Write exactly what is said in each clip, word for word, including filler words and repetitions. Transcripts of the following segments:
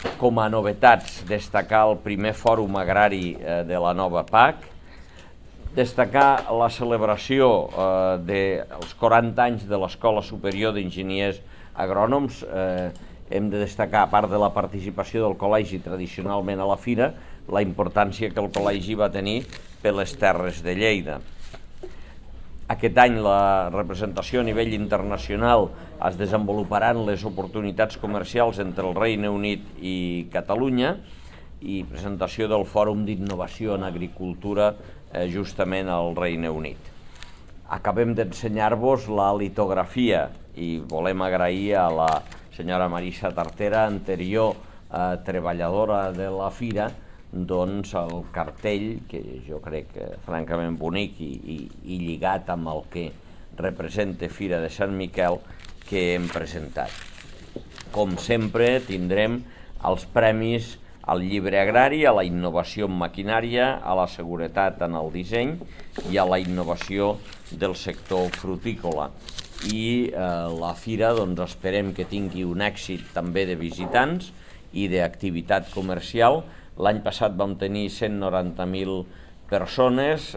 Com a novetats, destacar el primer fòrum agrari de la nova P A C, destacar la celebració dels quaranta anys de l'Escola Superior d'Enginyers Agrònoms. Hem de destacar, a part de la participació del col·legi tradicionalment a la fira, la importància que el col·legi va tenir per les terres de Lleida. Aquest any la representació a nivell internacional es desenvoluparan les oportunitats comercials entre el Regne Unit i Catalunya i presentació del Fòrum d'Innovació en Agricultura justament al Regne Unit. Acabem d'ensenyar-vos la litografia i volem agrair a la senyora Marisa Tartera, anterior treballadora de la fira, doncs el cartell, que jo crec francament bonic i lligat amb el que representa Fira de Sant Miquel, que hem presentat. Com sempre tindrem els premis al llibre agrari, a la innovació en maquinària, a la seguretat en el disseny i a la innovació del sector frutícola. I la fira esperem que tingui un èxit també de visitants i d'activitat comercial. L'any passat vam tenir cent noranta mil persones,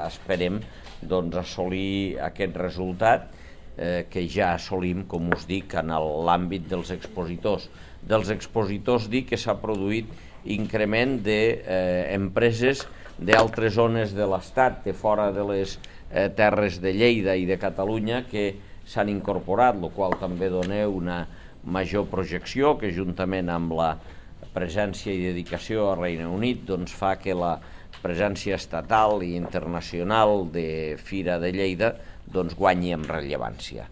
esperem assolir aquest resultat que ja assolim, com us dic, en l'àmbit dels expositors. Dels expositors dic que s'ha produït increment d'empreses d'altres zones de l'Estat, de fora de les terres de Lleida i de Catalunya, que s'han incorporat, el qual també dona una major projecció, que juntament amb la presència i dedicació al Regne Unit fa que la presència estatal i internacional de Fira de Lleida guanyi en rellevància.